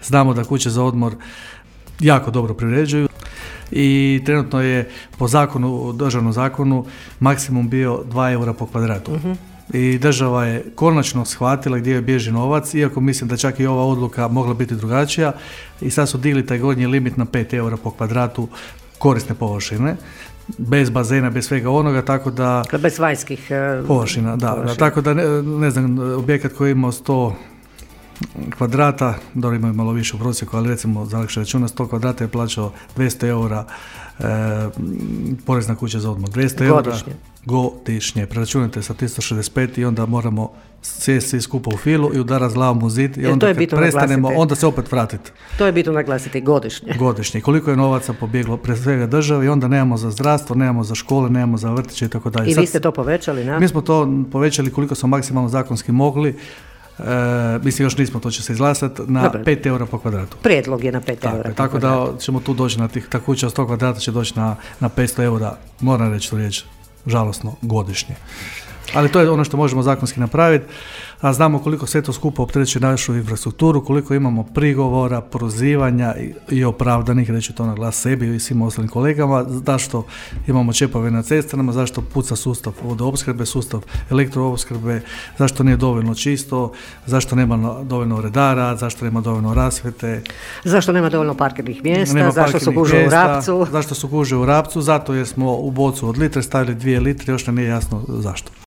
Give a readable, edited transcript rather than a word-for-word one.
Znamo da kuće za odmor jako dobro privređuju i trenutno je po zakonu, državnom zakonu, maksimum bio 2 eura po kvadratu. I država je konačno shvatila gdje joj bježi novac, iako mislim da čak i ova odluka mogla biti drugačija, i sad su digli taj gornji limit na 5 eura po kvadratu korisne površine, bez bazena, bez svega onoga, tako da... Bez vanjskih površina, da, tako da ne znam, objekat koji ima 100 kvadrata, dobro imaju malo više u prosjeku, ali recimo za lakše računa 100 kvadrata je plaćao 200 eura porezna kuća za odmor. 200 eura godišnje. Preračunajte sa 365 i onda moramo sjesti svi skupa u filu i udarati glavom u zid i onda kad prestanemo, onda se opet vratiti. To je bitno naglasiti, godišnje. Godišnje. Koliko je novaca pobjeglo pre svega države i onda nemamo za zdravstvo, nemamo za škole, nemamo za vrtiće i tako dalje. I vi ste to povećali, ne? Mi smo to povećali koliko smo maksimalno zakonski mogli. Mislim, još nismo, to će se izglasati, na 5 eura po kvadratu. Prijedlog je na 5 eura. Tako da ćemo tu doći na ta kuća od 100 kvadrata će doći na 500 eura, moram reći tu riječ, žalosno, godišnje. Ali to je ono što možemo zakonski napraviti, a znamo koliko sve to skupo opterećuje našu infrastrukturu, koliko imamo prigovora, prozivanja i opravdanih, reći to na glas sebi i svim ostalim kolegama, zašto imamo čepove na cestama, zašto puca sustav vodoopskrbe, sustav elektroopskrbe, zašto nije dovoljno čisto, zašto nema dovoljno redara, zašto nema dovoljno rasvjete. Zašto nema dovoljno parkirnih mjesta, zašto su gužve u Rapcu. Zašto su gužve u Rapcu, zato jer smo u bocu od litre stavili 2 litre, još nam nije jasno zašto.